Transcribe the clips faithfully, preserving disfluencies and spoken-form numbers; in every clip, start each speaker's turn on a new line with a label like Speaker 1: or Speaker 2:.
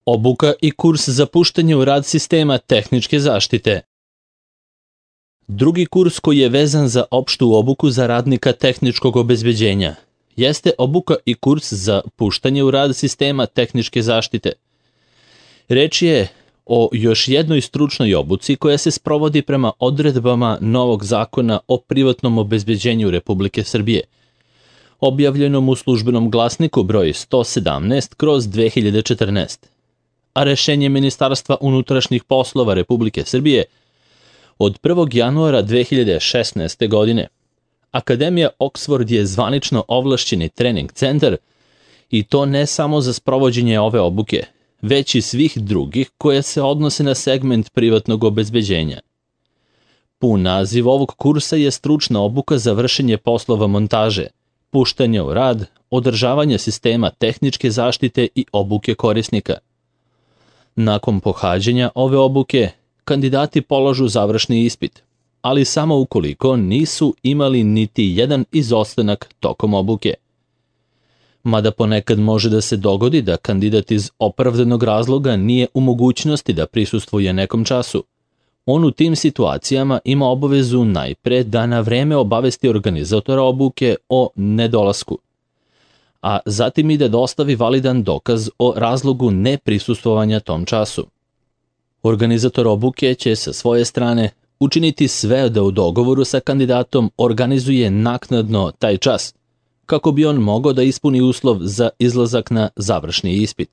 Speaker 1: Obuka i kurs za puštanje u rad sistema tehničke zaštite. Drugi kurs koji je vezan za opštu obuku za radnika tehničkog obezbeđenja jeste obuka i kurs za puštanje u rad sistema tehničke zaštite. Reč je o još jednoj stručnoj obuci koja se sprovodi prema odredbama novog zakona o privatnom obezbeđenju Republike Srbije, objavljenom u službenom glasniku broj sto sedamnaest kroz dve hiljade četrnaeste. A rešenje Ministarstva unutrašnjih poslova Republike Srbije od prvog januara dve hiljade šesnaeste. godine. Akademija Oxford je zvanično ovlašćeni trening centar i to ne samo za sprovođenje ove obuke, već i svih drugih koje se odnose na segment privatnog obezbeđenja. Pun naziv ovog kursa je stručna obuka za vršenje poslova montaže, puštanja u rad, održavanja sistema tehničke zaštite i obuke korisnika. Nakon pohađanja ove obuke, kandidati polažu završni ispit, ali samo ukoliko nisu imali niti jedan izostanak tokom obuke. Mada ponekad može da se dogodi da kandidat iz opravdanog razloga nije u mogućnosti da prisustvuje nekom času. On u tim situacijama ima obavezu najpre da na vreme obavesti organizatora obuke o nedolasku, a zatim i da dostavi validan dokaz o razlogu neprisustvovanja tom času. Organizator obuke će sa svoje strane učiniti sve da u dogovoru sa kandidatom organizuje naknadno taj čas, kako bi on mogao da ispuni uslov za izlazak na završni ispit.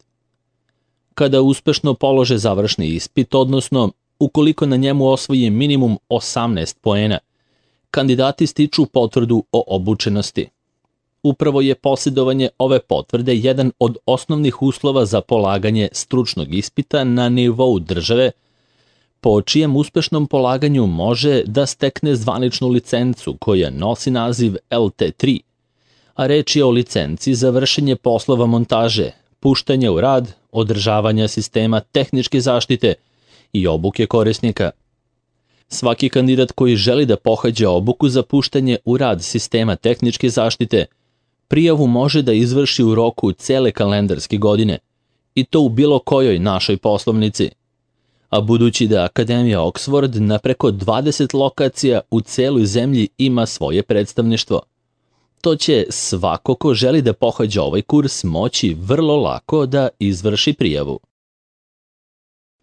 Speaker 1: Kada uspešno polože završni ispit, odnosno ukoliko na njemu osvoji minimum osamnaest poena, kandidati stiču potvrdu o obučenosti. Upravo je posjedovanje ove potvrde jedan od osnovnih uslova za polaganje stručnog ispita na nivou države, po čijem uspešnom polaganju može da stekne zvaničnu licencu koja nosi naziv L T tri, a reč je o licenci za vršenje poslova montaže, puštanja u rad, održavanja sistema tehničke zaštite i obuke korisnika. Svaki kandidat koji želi da pohađa obuku za puštanje u rad sistema tehničke zaštite, prijavu može da izvrši u roku cele kalendarske godine, i to u bilo kojoj našoj poslovnici. A budući da Akademija Oxford na preko dvadeset lokacija u celoj zemlji ima svoje predstavništvo, to će svako ko želi da pohađa ovaj kurs moći vrlo lako da izvrši prijavu.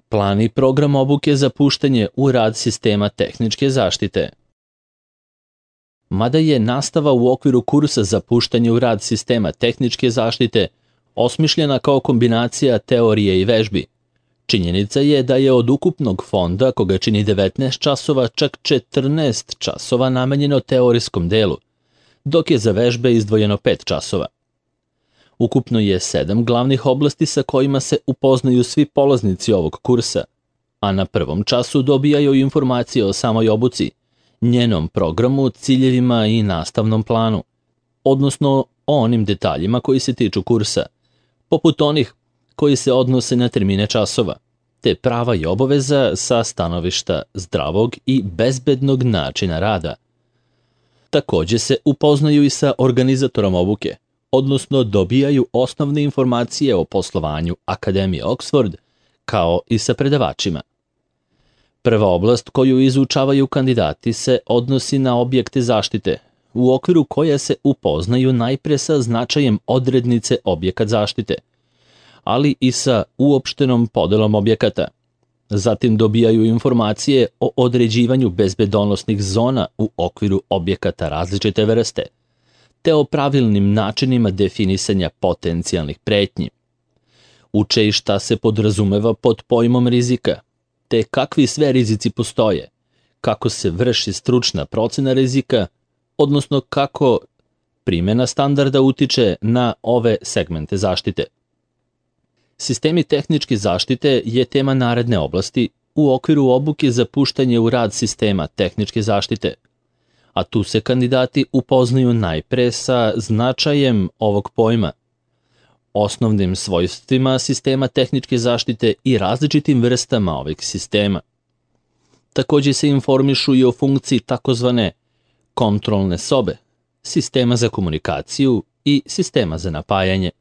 Speaker 1: Plan i program obuke za puštanje u rad sistema tehničke zaštite. Mada je nastava u okviru kursa za puštanje u rad sistema tehničke zaštite osmišljena kao kombinacija teorije i vežbi, činjenica je da je od ukupnog fonda, koga čini devetnaest časova, čak četrnaest časova namenjeno teorijskom delu, dok je za vežbe izdvojeno pet časova. Ukupno je sedam glavnih oblasti sa kojima se upoznaju svi polaznici ovog kursa, a na prvom času dobijaju informacije o samoj obuci, njenom programu, ciljevima i nastavnom planu, odnosno o onim detaljima koji se tiču kursa, poput onih koji se odnose na termine časova, te prava i obaveza sa stanovišta zdravog i bezbednog načina rada. Takođe se upoznaju i sa organizatorom obuke, odnosno dobijaju osnovne informacije o poslovanju Akademije Oxford, kao i sa predavačima. Prva oblast koju izučavaju kandidati se odnosi na objekte zaštite, u okviru koje se upoznaju najpre sa značajem odrednice objekat zaštite, ali i sa uopštenom podelom objekata. Zatim dobijaju informacije o određivanju bezbedonosnih zona u okviru objekata različite vrste, te o pravilnim načinima definisanja potencijalnih pretnji. Uče i šta se podrazumeva pod pojmom rizika, te kakvi sve rizici postoje, kako se vrši stručna procena rizika, odnosno kako primjena standarda utiče na ove segmente zaštite. Sistemi tehničke zaštite je tema naredne oblasti u okviru obuke za puštanje u rad sistema tehničke zaštite, a tu se kandidati upoznaju najpre sa značajem ovog pojma, osnovnim svojstvima sistema tehničke zaštite i različitim vrstama ovih sistema. Takođe se informišu i o funkciji takozvane kontrolne sobe, sistema za komunikaciju i sistema za napajanje.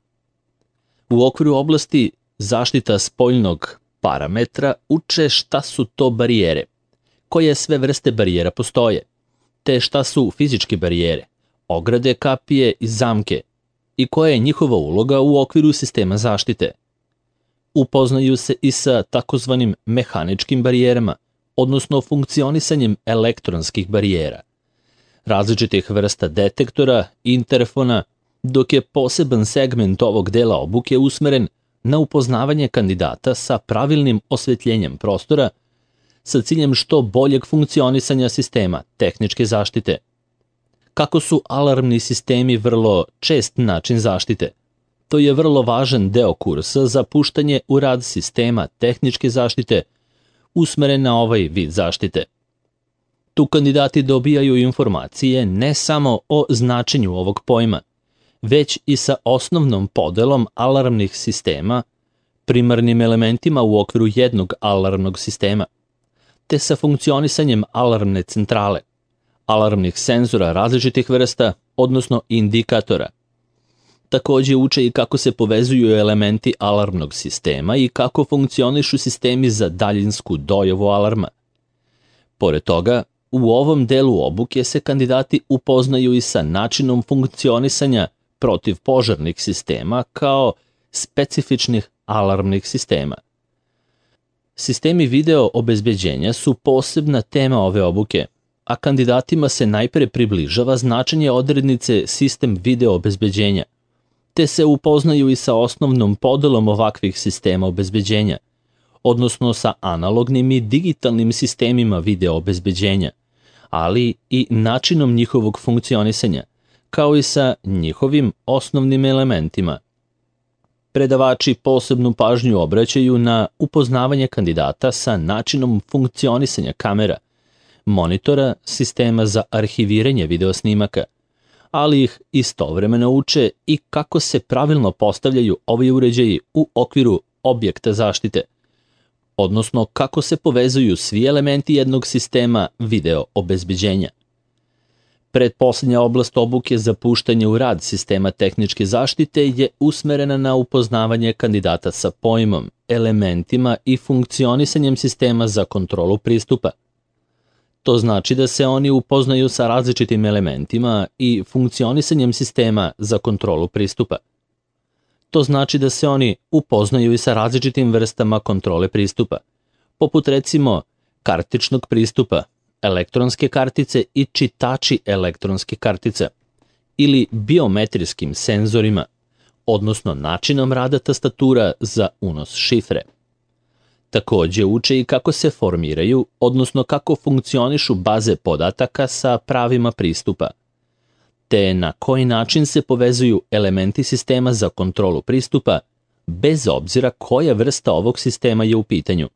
Speaker 1: U okviru oblasti zaštita spoljnog parametra uče šta su to barijere, koje sve vrste barijera postoje, te šta su fizičke barijere, ograde, kapije i zamke i koja je njihova uloga u okviru sistema zaštite. Upoznaju se i sa takozvanim mehaničkim barijerama, odnosno funkcionisanjem elektronskih barijera, različitih vrsta detektora, interfona, dok je poseban segment ovog dela obuke usmeren na upoznavanje kandidata sa pravilnim osvetljenjem prostora sa ciljem što boljeg funkcionisanja sistema tehničke zaštite. Kako su alarmni sistemi vrlo čest način zaštite, to je vrlo važan deo kursa za puštanje u rad sistema tehničke zaštite usmeren na ovaj vid zaštite. Tu kandidati dobijaju informacije ne samo o značenju ovog pojma, već i sa osnovnom podelom alarmnih sistema, primarnim elementima u okviru jednog alarmnog sistema, te sa funkcionisanjem alarmne centrale, alarmnih senzora različitih vrsta, odnosno indikatora. Takođe uče i kako se povezuju elementi alarmnog sistema i kako funkcionišu sistemi za daljinsku dojavu alarma. Pored toga, u ovom delu obuke se kandidati upoznaju i sa načinom funkcionisanja protivpožarnih sistema kao specifičnih alarmnih sistema. Sistemi video obezbeđenja su posebna tema ove obuke, a kandidatima se najpre približava značenje odrednice sistem video obezbeđenja, te se upoznaju i sa osnovnom podelom ovakvih sistema obezbeđenja, odnosno sa analognim i digitalnim sistemima video obezbeđenja, ali i načinom njihovog funkcionisanja, kao i sa njihovim osnovnim elementima. Predavači posebnu pažnju obraćaju na upoznavanje kandidata sa načinom funkcionisanja kamera, monitora, sistema za arhiviranje videosnimaka, ali ih istovremeno uče i kako se pravilno postavljaju ovi uređaji u okviru objekta zaštite, odnosno kako se povezuju svi elementi jednog sistema video obezbeđenja. Pretposlednja oblast obuke za puštanje u rad sistema tehničke zaštite je usmerena na upoznavanje kandidata sa pojmom, elementima i funkcionisanjem sistema za kontrolu pristupa. To znači da se oni upoznaju sa različitim elementima i funkcionisanjem sistema za kontrolu pristupa. To znači da se oni upoznaju i sa različitim vrstama kontrole pristupa, poput recimo kartičnog pristupa, elektronske kartice i čitači elektronske kartice, ili biometrijskim senzorima, odnosno načinom rada tastatura za unos šifre. Takođe uče i kako se formiraju, odnosno kako funkcionišu baze podataka sa pravima pristupa, te na koji način se povezuju elementi sistema za kontrolu pristupa, bez obzira koja vrsta ovog sistema je u pitanju.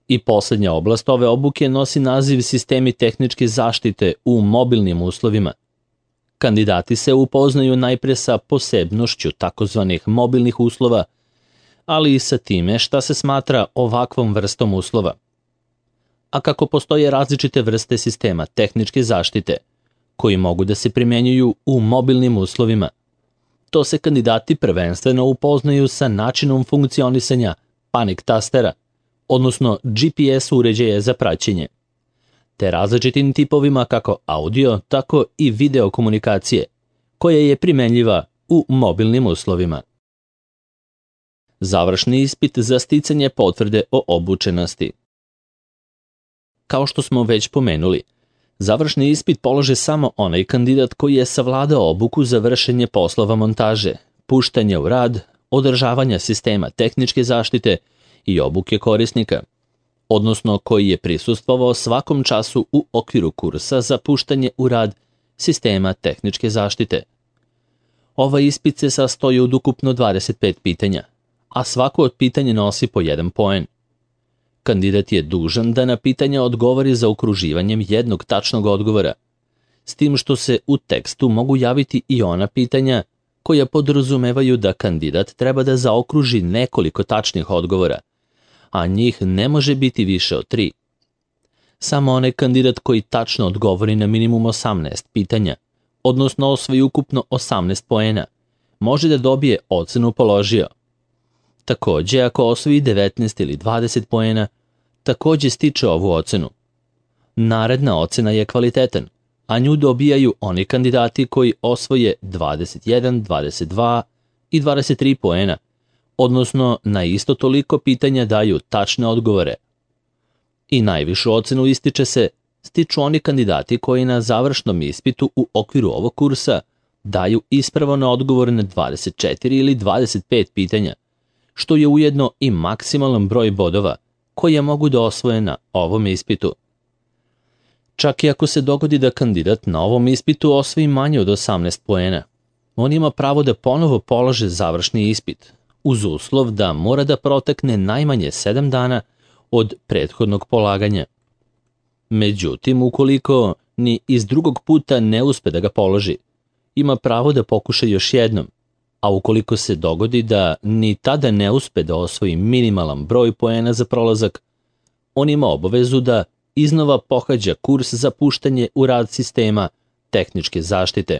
Speaker 1: I poslednja oblast ove obuke nosi naziv sistemi tehničke zaštite u mobilnim uslovima. Kandidati se upoznaju najpre sa posebnošću takozvanih mobilnih uslova, ali i sa time šta se smatra ovakvom vrstom uslova. A kako postoje različite vrste sistema tehničke zaštite, koji mogu da se primenjuju u mobilnim uslovima, to se kandidati prvenstveno upoznaju sa načinom funkcionisanja panik tastera, odnosno G P S uređaja za praćenje, te različitim tipovima kako audio, tako i video komunikacije, koja je primenljiva u mobilnim uslovima. Završni ispit za sticanje potvrde o obučenosti. Kao što smo već pomenuli, završni ispit polaže samo onaj kandidat koji je savladao obuku za vršenje poslova montaže, puštanja u rad, održavanja sistema tehničke zaštite i obuke korisnika, odnosno koji je prisustvovao svakom času u okviru kursa za puštanje u rad sistema tehničke zaštite. Ovaj ispit se sastoji od ukupno dvadeset pet pitanja, a svako od pitanja nosi po jedan poen. Kandidat je dužan da na pitanja odgovori zaokruživanjem jednog tačnog odgovora, s tim što se u tekstu mogu javiti i ona pitanja koja podrazumevaju da kandidat treba da zaokruži nekoliko tačnih odgovora, a njih ne može biti više od tri. Samo onaj kandidat koji tačno odgovori na minimum osamnaest pitanja, odnosno osvoji ukupno osamnaest poena, može da dobije ocenu položio. Takođe, ako osvoji devetnaest ili dvadeset poena, takođe stiče ovu ocenu. Naredna ocena je kvalitetan, a nju dobijaju oni kandidati koji osvoje dvadeset jedan, dvadeset dva i dvadeset tri poena, odnosno na isto toliko pitanja daju tačne odgovore. I najvišu ocenu ističe se stiču oni kandidati koji na završnom ispitu u okviru ovog kursa daju ispravan odgovor na dvadeset četiri ili dvadeset pet pitanja, što je ujedno i maksimalan broj bodova koje mogu da osvoje na ovom ispitu. Čak i ako se dogodi da kandidat na ovom ispitu osvoji manje od osamnaest poena, on ima pravo da ponovo polaže završni ispit, uz uslov da mora da protekne najmanje sedam dana od prethodnog polaganja. Međutim, ukoliko ni iz drugog puta ne uspe da ga položi, ima pravo da pokuša još jednom, a ukoliko se dogodi da ni tada ne uspe da osvoji minimalan broj poena za prolazak, on ima obavezu da iznova pohađa kurs za puštanje u rad sistema tehničke zaštite.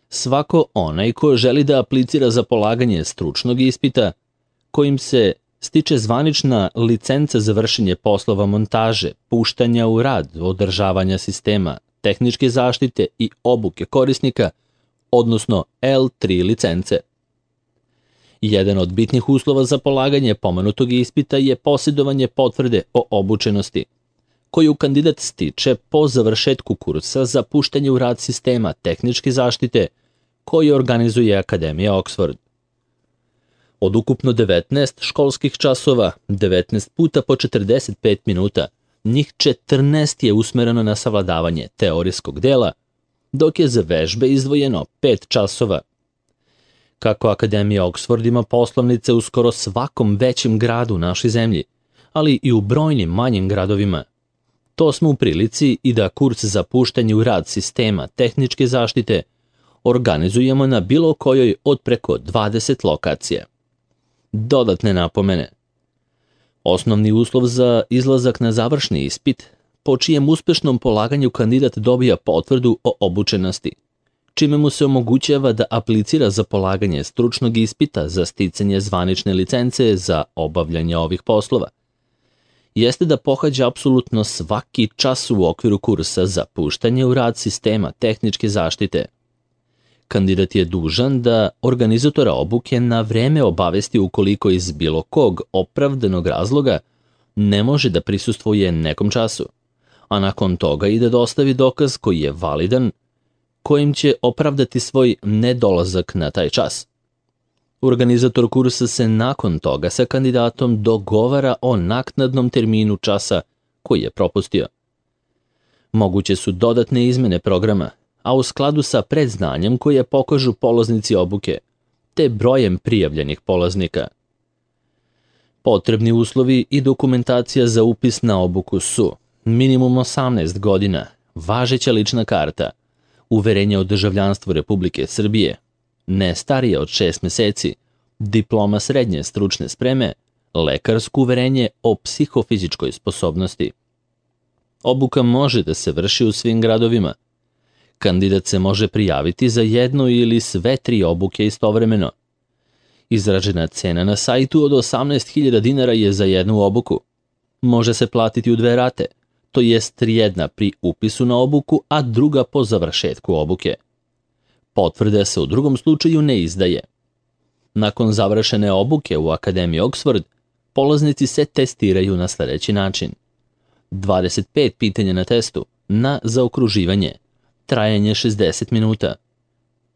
Speaker 1: Svako onaj ko želi da aplicira za polaganje stručnog ispita, kojim se stiče zvanična licenca za vršenje poslova montaže, puštanja u rad, održavanja sistema tehničke zaštite i obuke korisnika, odnosno L tri licence. Jedan od bitnih uslova za polaganje pomenutog ispita je posjedovanje potvrde o obučenosti, koju kandidat stiče po završetku kursa za puštanje u rad sistema tehničke zaštite koji organizuje Akademija Oxford. Od ukupno devetnaest školskih časova, devetnaest puta po četrdeset pet minuta, njih četrnaest je usmereno na savladavanje teorijskog dela, dok je za vežbe izdvojeno pet časova. Kako Akademija Oxford ima poslovnice u skoro svakom većem gradu u našoj zemlji, ali i u brojnim manjim gradovima, to smo u prilici i da kurs za puštanje u rad sistema tehničke zaštite organizujemo na bilo kojoj od preko dvadeset lokacija. Dodatne napomene. Osnovni uslov za izlazak na završni ispit, po čijem uspešnom polaganju kandidat dobija potvrdu o obučenosti, čime mu se omogućava da aplicira za polaganje stručnog ispita za sticanje zvanične licence za obavljanje ovih poslova, jeste da pohađa apsolutno svaki čas u okviru kursa za puštanje u rad sistema tehničke zaštite. Kandidat je dužan da organizatora obuke na vreme obavesti ukoliko iz bilo kog opravdanog razloga ne može da prisustvuje nekom času, a nakon toga i da dostavi dokaz koji je validan, kojim će opravdati svoj nedolazak na taj čas. Organizator kursa se nakon toga sa kandidatom dogovara o naknadnom terminu časa koji je propustio. Moguće su dodatne izmene programa, a u skladu sa predznanjem koje pokažu polaznici obuke, te brojem prijavljenih polaznika. Potrebni uslovi i dokumentacija za upis na obuku su minimum osamnaest godina, važeća lična karta, uverenje o državljanstvu Republike Srbije, ne starije od šest meseci, diploma srednje stručne spreme, lekarsko uverenje o psihofizičkoj sposobnosti. Obuka može da se vrši u svim gradovima. Kandidat se može prijaviti za jednu ili sve tri obuke istovremeno. Izražena cena na sajtu od osamnaest hiljada dinara je za jednu obuku. Može se platiti u dve rate, to jest jedna pri upisu na obuku, a druga po završetku obuke. Potvrda se u drugom slučaju ne izdaje. Nakon završene obuke u Akademiji Oxford, polaznici se testiraju na sledeći način. dvadeset pet pitanja na testu, na zaokruživanje, trajanje šezdeset minuta.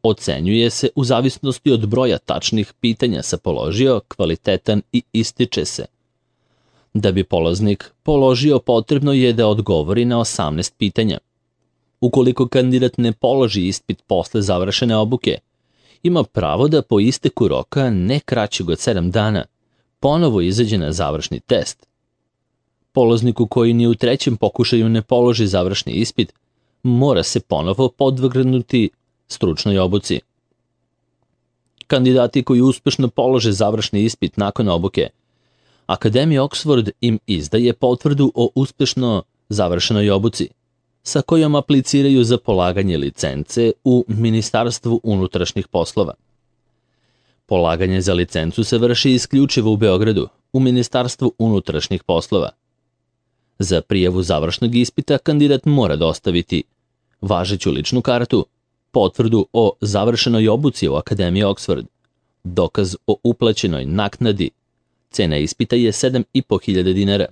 Speaker 1: Ocenjuje se u zavisnosti od broja tačnih pitanja sa položio, kvalitetan i ističe se. Da bi polaznik položio, potrebno je da odgovori na osamnaest pitanja. Ukoliko kandidat ne položi ispit posle završene obuke, ima pravo da po isteku roka ne kraćeg od sedam dana ponovo izađe na završni test. Polazniku koji ni u trećem pokušaju ne položi završni ispit, mora se ponovo podvrgnuti stručnoj obuci. Kandidati koji uspešno polože završni ispit nakon obuke, Akademija Oxford im izdaje potvrdu o uspešno završenoj obuci, sa kojom apliciraju za polaganje licence u Ministarstvu unutrašnjih poslova. Polaganje za licencu se vrši isključivo u Beogradu, u Ministarstvu unutrašnjih poslova. Za prijavu završnog ispita kandidat mora dostaviti važeću ličnu kartu, potvrdu o završenoj obuci u Akademiji Oxford, dokaz o uplaćenoj naknadi. Cena ispita je sedam i po hiljada dinara.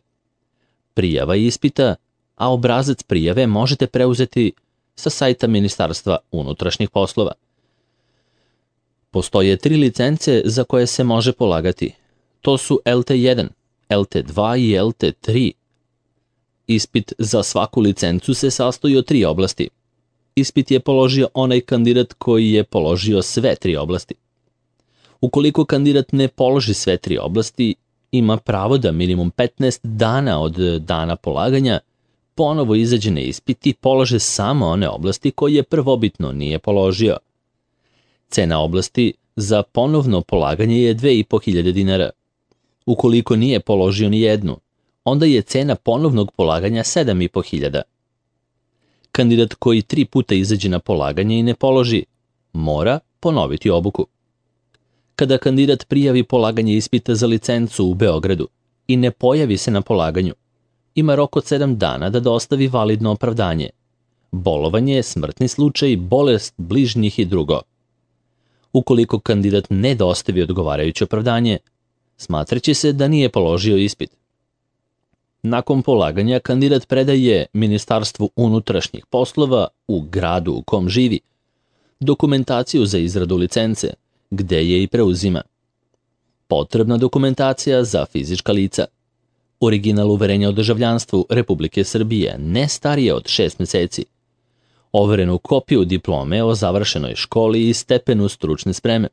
Speaker 1: Prijava ispita, a obrazac prijave možete preuzeti sa sajta Ministarstva unutrašnjih poslova. Postoje tri licence za koje se može polagati. To su L T jedan, L T dva i L T tri. Ispit za svaku licencu se sastoji od tri oblasti. Ispit je položio onaj kandidat koji je položio sve tri oblasti. Ukoliko kandidat ne položi sve tri oblasti, ima pravo da minimum petnaest dana od dana polaganja ponovo izađe na ispit i polože samo one oblasti koje prvobitno nije položio. Cena oblasti za ponovno polaganje je dve i po hiljade dinara. Ukoliko nije položio ni jednu, onda je cena ponovnog polaganja sedam i po hiljada. Kandidat koji tri puta izađe na polaganje i ne položi, mora ponoviti obuku. Kada kandidat prijavi polaganje ispita za licencu u Beogradu i ne pojavi se na polaganju, ima rok od sedam dana da dostavi validno opravdanje. Bolovanje, smrtni slučaj, bolest bližnjih i drugo. Ukoliko kandidat ne dostavi odgovarajuće opravdanje, smatraće se da nije položio ispit. Nakon polaganja kandidat predaje Ministarstvu unutrašnjih poslova u gradu u kom živi dokumentaciju za izradu licence, gde je i preuzima. Potrebna dokumentacija za fizička lica. Original uverenja o državljanstvu Republike Srbije, ne starije od šest meseci. Overenu kopiju diplome o završenoj školi i stepenu stručne spreme.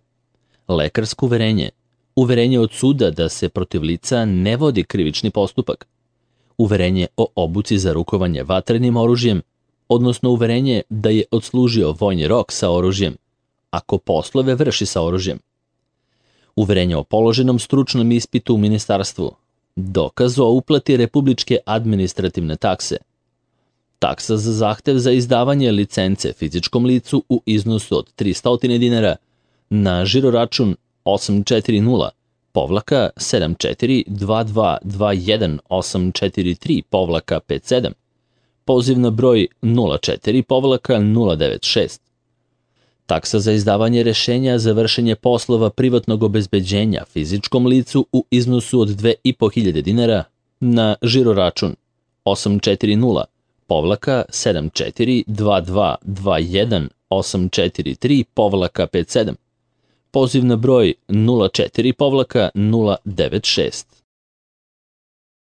Speaker 1: Lekarsko uverenje. Uverenje od suda da se protiv lica ne vodi krivični postupak. Uverenje o obuci za rukovanje vatrenim oružjem, odnosno uverenje da je odslužio vojni rok sa oružjem, ako poslove vrši sa oružjem. Uverenje o položenom stručnom ispitu u ministarstvu. Dokaz o uplati republičke administrativne takse. Taksa za zahtev za izdavanje licence fizičkom licu u iznosu od tristo dinara na žiroračun osam četiri nula povlaka sedam četiri dva dva dva jedan osam četiri tri povlaka pet sedam, poziv na broj nula četiri povlaka nula devet šest. Taksa za izdavanje rešenja za vršenje poslova privatnog obezbeđenja fizičkom licu u iznosu od dve i po hiljade dinara na žiroračun osam četiri nula povlaka sedam četiri dva dva dva jedan osam četiri tri povlaka pet sedam, poziv na broj nula četiri povlaka nula devet šest.